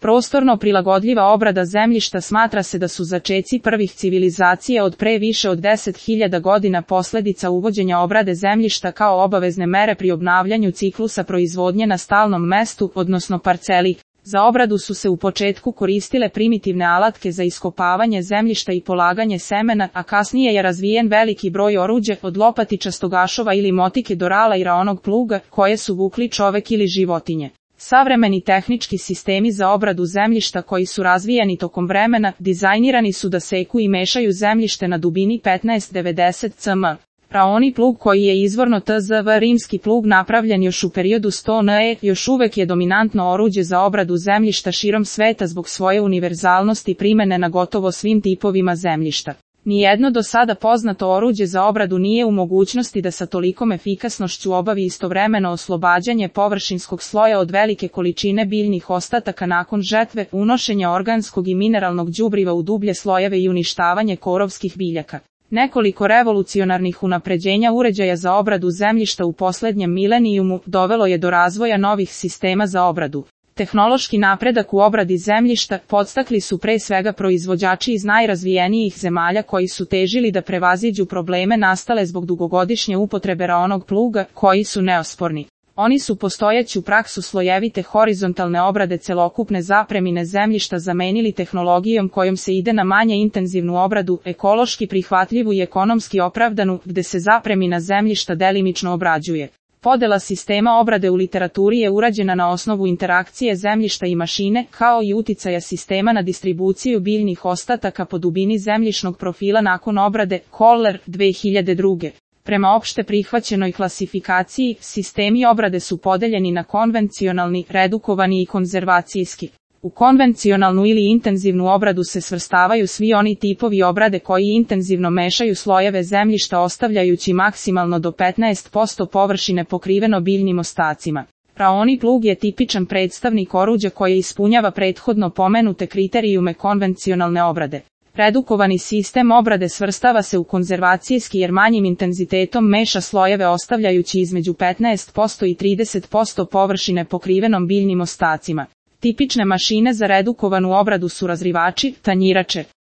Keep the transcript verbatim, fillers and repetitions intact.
Prostorno prilagodljiva obrada zemljišta smatra se da su začeci prvih civilizacija od pre više od deset hiljada godina posljedica uvođenja obrade zemljišta kao obavezne mere pri obnavljanju ciklusa proizvodnje na stalnom mestu, odnosno parceli. Za obradu su se u početku koristile primitivne alatke za iskopavanje zemljišta i polaganje semena, a kasnije je razvijen veliki broj oruđa, od lopatičastog ašova ili motike do rala i raonog pluga, koje su vukli čovek ili životinje. Savremeni tehnički sistemi za obradu zemljišta koji su razvijeni tokom vremena, dizajnirani su da seku i mešaju zemljište na dubini petnaest do devedeset centimetara. Raoni plug koji je izvorno T Z V rimski plug napravljen još u periodu sto N E, još uvek je dominantno oruđe za obradu zemljišta širom sveta zbog svoje univerzalnosti primene na gotovo svim tipovima zemljišta. Nijedno do sada poznato oruđe za obradu nije u mogućnosti da sa tolikom efikasnošću obavi istovremeno oslobađanje površinskog sloja od velike količine biljnih ostataka nakon žetve, unošenja organskog i mineralnog đubriva u dublje slojeve i uništavanje korovskih biljaka. Nekoliko revolucionarnih unapređenja uređaja za obradu zemljišta u posljednjem milenijumu dovelo je do razvoja novih sistema za obradu. Tehnološki napredak u obradi zemljišta podstakli su pre svega proizvođači iz najrazvijenijih zemalja koji su težili da prevaziđu probleme nastale zbog dugogodišnje upotrebe raonog pluga, koji su neosporni. Oni su postojeću praksu slojevite horizontalne obrade celokupne zapremine zemljišta zamenili tehnologijom kojom se ide na manje intenzivnu obradu, ekološki prihvatljivu i ekonomski opravdanu, gde se zapremina zemljišta delimično obrađuje. Podela sistema obrade u literaturi je urađena na osnovu interakcije zemljišta i mašine, kao i uticaja sistema na distribuciju biljnih ostataka po dubini zemljišnog profila nakon obrade, Kohler, dve hiljade druge. Prema opšte prihvaćenoj klasifikaciji, sistemi obrade su podeljeni na konvencionalni, redukovani i konzervacijski. U konvencionalnu ili intenzivnu obradu se svrstavaju svi oni tipovi obrade koji intenzivno mešaju slojeve zemljišta ostavljajući maksimalno do petnaest posto površine pokriveno biljnim ostacima. Raoni plug je tipičan predstavnik oruđa koje ispunjava prethodno pomenute kriterijume konvencionalne obrade. Redukovani sistem obrade svrstava se u konzervacijski jer manjim intenzitetom meša slojeve ostavljajući između petnaest posto i trideset posto površine pokrivenom biljnim ostacima. Tipične mašine za redukovanu obradu su razrivači, tanjirače.